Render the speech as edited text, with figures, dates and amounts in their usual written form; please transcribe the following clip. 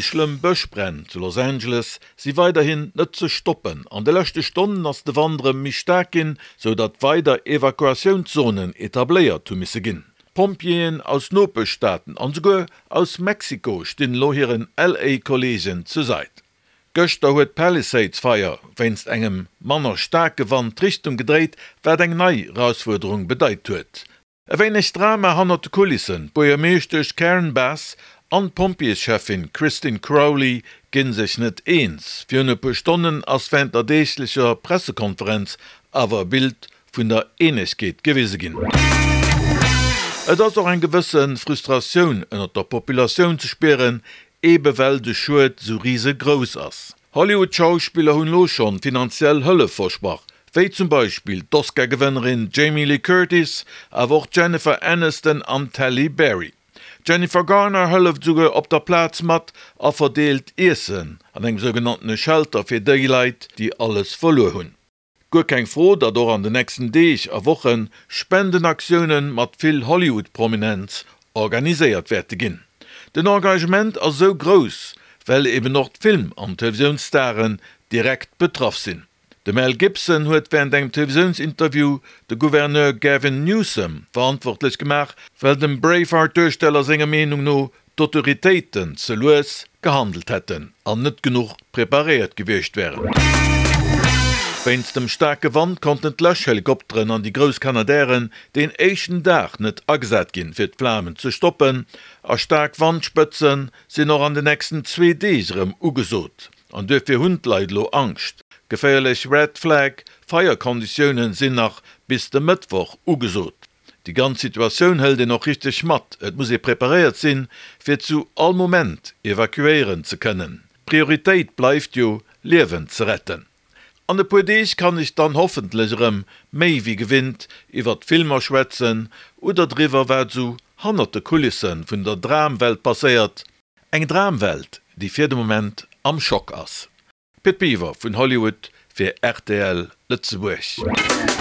Déi schlëmm Bëschbränn zu Los Angeles si weiderhin net ze stoppen. An de leschte Stonnen ass de Wand erëm méi staark ginn, sou datt weider Evakuatiounszonen etabléiert hu misse ginn. Pompjeeën aus Nopeschstaaten an esouguer aus Mexiko stinn elo hiren LA-Kolleegen zur Sait. Gëschter huet d'Palisades-Feier wéinst engem manner staarke Wand d'Richtung gedréit, wat eng nei Erausfuerderung bedeit huet. E wéineg Drama hannert de Kulissen, D'Buergermeeschtesch Karen Bass an d'Pompjeescheffin Christine Crowley ginn sech net eens. Virun e puer Stonnen ass wärend der deeglecher Pressekonferenz awer e Bild vun der Eenegkeet gewise ginn. Et ass och eng gewësse Frustratioun ënnert der Populatioun ze spieren, ebe well de Schued sou risegrouss ass. Hollywood-Schauspiller hunn elo schonn finanziell Hëllef versprach, wéi zum Beispill d'Oscar-Gewënnerin Jamie Lee Curtis, awer och d'Jennifer Aniston an d'Halle Berry. D'Jennifer Garner hëlleft esouguer op der Plaz mat a verdeelt Iessen an engem sougenanntene Shelter fir déi Leit, déi alles verluer hunn. Guer keng Fro, datt och an de nächsten Deeg a Woche Spendenaktioune mat vill Hollywood-Prominenz organiséiert wäerte ginn. Den Engagement ass esou grouss, well eben och d'Film an Televisiounsstaren direkt betraff sinn. De Mel Gibson huet wärend engem Televisiounsinterview de Gouverneur Gavin Newsom verantwortlech gemaach, well dem Braveheart-Duersteller senger Meenung no d'Autoritéiten ze lues gehandelt hätten an net genuch preparéiert gewiescht wären. Wéinst dem staarke Wand konnten d'Läschhelikopteren an déi grouss Canadairen deen éischten Dag net agesat ginn, fir d'Flamen ze stoppen, a staark Wandspëtze sinn och an de nächsten zwee Deeg erëm ugesot. An duerfir hunn d'Leit elo Angscht. Geféierlech Red Flag Feierkonditioune sinn nach bis de Mëttwoch ugesot. Déi ganz Situatioun hëlt een och richteg mat. Et muss ee preparéiert sinn, fir zu all Moment evakuéieren ze kënnen. D'Prioritéit bleift jo, Liewen ze retten. An e puer Deeg kann ech dann hoffentlech erëm méi wéi gewinnt iwwert Filmer schwätzen oder driwwer, wat esou hannert de Kulisse vun der Dramwelt passéiert. Eng Dramwelt, déi fir de Moment am Schock ass. Pit Biwer vun Hollywood fir rtl Lëtzebuerg.